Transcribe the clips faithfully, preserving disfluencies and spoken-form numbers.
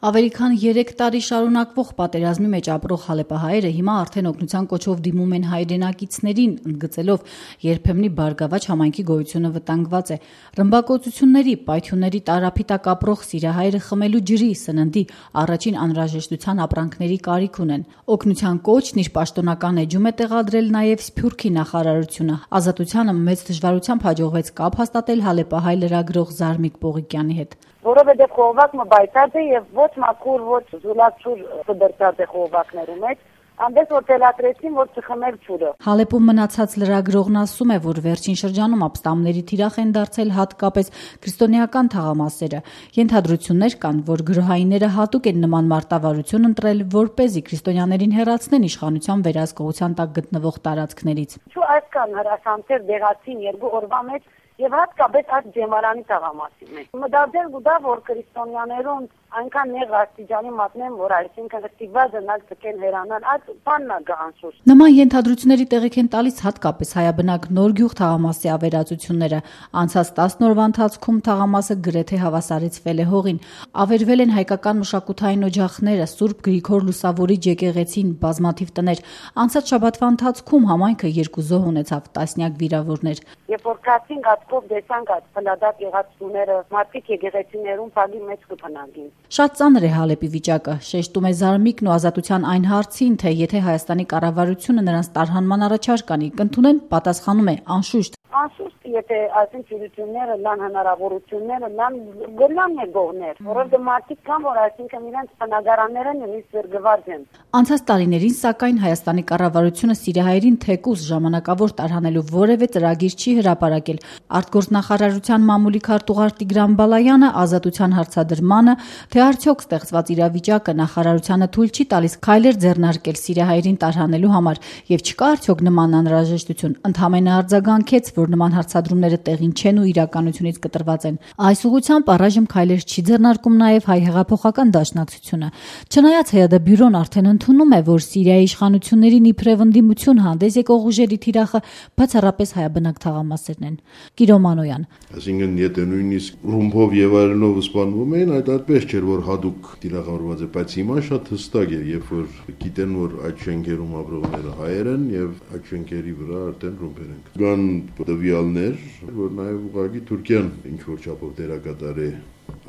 Ավելի քան երեք տարի շարունակվող պատերազմի մեջ ապրող հալեպահայերը հիմա արդեն օգնության կոչով դիմում են հայրենակիցներին, ընդգծելով երբեմնի Բարգավաճ համայնքի գոյությունը վտանգված է։ Ռմբակոծությունների, պայթյունների տարափի տակ ապրող սիրահայերը խմելու ջրի, սննդի, առաջին անհրաժեշտության ապրանքների կարիք ունեն։ Օգնության կոչն իր պաշտոնական էջում է տեղադրել նաև Սփյուռքի նախարարությունը։ Ազատությանը մեծ դժվարությամբ հաջողվեց կապ հաստատել հալեպահայ լրագրող Զարմիկ Պողիկյանի հետ։ Որովհետև խողովակը բայցած է եւ ոչ մաքուր, ոչ զուլացուր դրծած է խողովակներու մեջ, այնպես որ թելադրեցին, որ չխմել ջուրը։ Հալեպում մնացած լրագրողն ասում է, որ վերջին շրջանում ապստամբների թիրախ են դարձել հատկապես քրիստոնեական թաղամասերը։ Ենթադրություններ կան, որ գրոհայինները հատուկ են նման մարտավարություն ընտրել, որպեսզի քրիստոնյաներին հեռացնեն իշխանության վերահսկողության տակ գտնվող տարածքներից։ Ու այսքան հրաշանքեր դեղացին երկու օրվա մեջ եւ հատկապես այդ ջեմարանի թաղամասի մեջ։ Մտածել գուտա, որ քրիստոնյաներուն այնքան նեղ աստիճանի մատնեն, որ այսինքն ստիպված են ցկել հերանալ, այդ բանն է գանշուշ։ Նման ենթադրությունների տեղիք են տալիս հատկապես հայաբնակ Նորգյուղ թաղամասի ավերածությունները։ Անցած տասն օրվա ընթացքում թաղամասը գրեթե հավասարեցվել է հողին։ Ավերվել են հայկական մշակութային օջախները, Սուրբ Գրիգոր Լուսավորիչ եկեղեցին, բազմաթիվ տներ։ Անցած շաբաթվա ընթացքում համայնքը երկու զոհ ունեցավ, տասնյակ վիրավորներ։ Երբ որ կացին գածկով դեսանք այդ փլադակ եղած տուները, մարդիկ եկեղեցիներուն բալի մեջ կփնագին։ Շատ ծանր է Հալեպի վիճակը, շեշտում է Զարմիկն ու Ազատության այն հարցին, թե եթե Հայաստանի կառավարությունը նրանց տարհանման առաջարկ անի, կընդունեն, պատասխանում է անշուշտ։ Անշուշտ, եթե այսին ծյուրությունները լան հնարավորությունները լան գլան է գողներ, որովհետև մարդիկ կան, որ այսինքն իրենց բնակարանները նույնիսկ զրկված են։ Անցած տարիներին, սակայն, Հայաստանի կառավարությունը սիրահայերին թեկուզ ժամանակավոր տարհանելու որևէ ծրագիր չի հրապարակել։ Արտգործնախարարության մամուլի քարտուղար Տիգրան Բալայանը Ազատության հարցադրմանը, թե արդյոք ստեղծված իրավիճակը նախարարությանը թույլ չի տալիս քայլեր ձեռնարկել սիրահայերին տարհանելու համար եւ չկա արդյոք նման անհրաժեշտություն, ընդհանրապես արձագանքեց, որ նման հարցադրումները տեղին չեն ու իրականությունից կտրված են։ Այս ուղղությամբ առայժմ քայլեր չի ձեռնարկում նաև հայ հեղափոխական դաշնակցությունը։ Չնայած ՀՅԴ բյուրոն արդեն ընդունում է, որ Սիրիայի իշխանություններին իբրև ընդդիմություն հանդես եկող ուժերի թիրախը բացառապես հայաբնակ թաղամասերն են։ Կիրո Մանոյան։ Այսինքն, եթե նույնիսկ ռումբով եւ այլնով սպանվում էին, այդ այդպես չէր, որ հadouk թիրախավորված է, բայց հիմա շատ հստակ է, երբ որ գիտեն, որ այդ շենքերում ապրողները հայեր են եւ այդ շենքերի վրա արդեն ռումբեր են։ Կան տվյալներ, որ նաև ուղղակի Թուրքիան ինչ որ չափով դերակատար է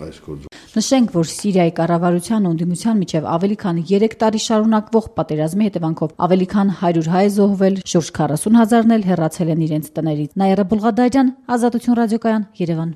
այս գործում։ Նշենք, որ Սիրիայի կառավարության ու ընդդիմության միջև ավելի քան երեք տարի շարունակվող պատերազմի հետևանքով ավելի քան հարյուր հայ զոհվել, շուրջ քառասուն հազարն էլ հեռացել են իրենց տներից։ Նաիրա Բուլղադարյան, Ազատություն ռադիոկայան, Երևան։